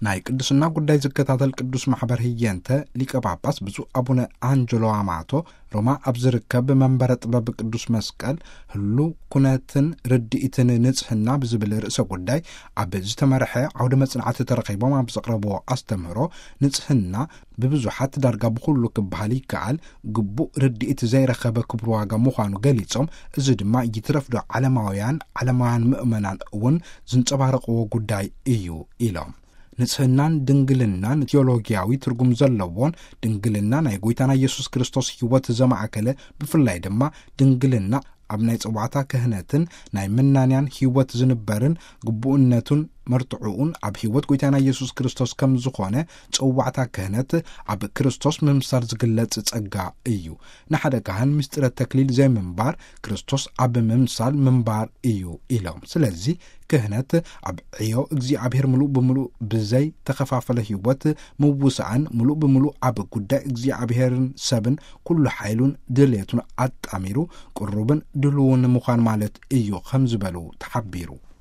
ናይ ቅዱስና ጉዳይ ዝከታተል ቅዱስ ማሕበር ህየንተ ሊቀ ጳጳስ ብፁዕ ኣቡነ ኣንጀሎ ኣማቶ ሮማ ኣብ ዝርከብ መንበረ ጥበብ ቅዱስ መስቀል ህሉ ኩነትን ርድኢትን ንጽህና ብዝብል ርእሰ ጉዳይ ኣብ ዝተመርሐ ዓውደ መጽናዕቲ ተረኺቦም ኣብ ዘቕረብዎ ኣስተምህሮ፣ ንጽህና ብብዙሓት ዳርጋ ብኹሉ ክበሃል ይከኣል ግቡእ ርድኢት ዘይረኸበ ክብሪ ዋጋ ምዃኑ ገሊጾም፣ እዚ ድማ ይትረፍዶ ዓለማውያን ዓለማውያን ምእመናን እውን ዝንጸባረቕዎ ጉዳይ እዩ ኢሎም። ንጽህናን ድንግልናን ቲዮሎጊያዊ ትርጉም ዘለዎን፣ ድንግልና ናይ ጎይታና ኢየሱስ ክርስቶስ ሕይወት ዘማእከለ፣ ብፍላይ ድማ ድንግልና ኣብ ናይ ጸዋዕታ ክህነትን ናይ መናንያን ሕይወት ዝንበርን ግቡእነቱን መርትዕኡን ኣብ ሕይወት ጎይታና ኢየሱስ ክርስቶስ ከም ዝኾነ፣ ጸዋዕታ ክህነት ኣብ ክርስቶስ ምምሳል ዝግለጽ ጸጋ እዩ። ንሓደ ካህን ምስጢረ ተክሊል ዘይምንባር ክርስቶስ ኣብ ምምሳል ምንባር እዩ ኢሎም። ስለዚ ክህነት ኣብ ዕዮ እግዚኣብሔር ምሉእ ብምሉእ ብዘይ ተኸፋፈለ ሕይወት ምውሳእን ምሉእ ብምሉእ ኣብ ጉዳይ እግዚኣብሔርን ሰብን ኩሉ ሓይሉን ድሌቱን ኣጣሚሩ ቅሩብን ድልውን ምዃን ማለት እዩ ከም ዝበሉ ተሓቢሩ።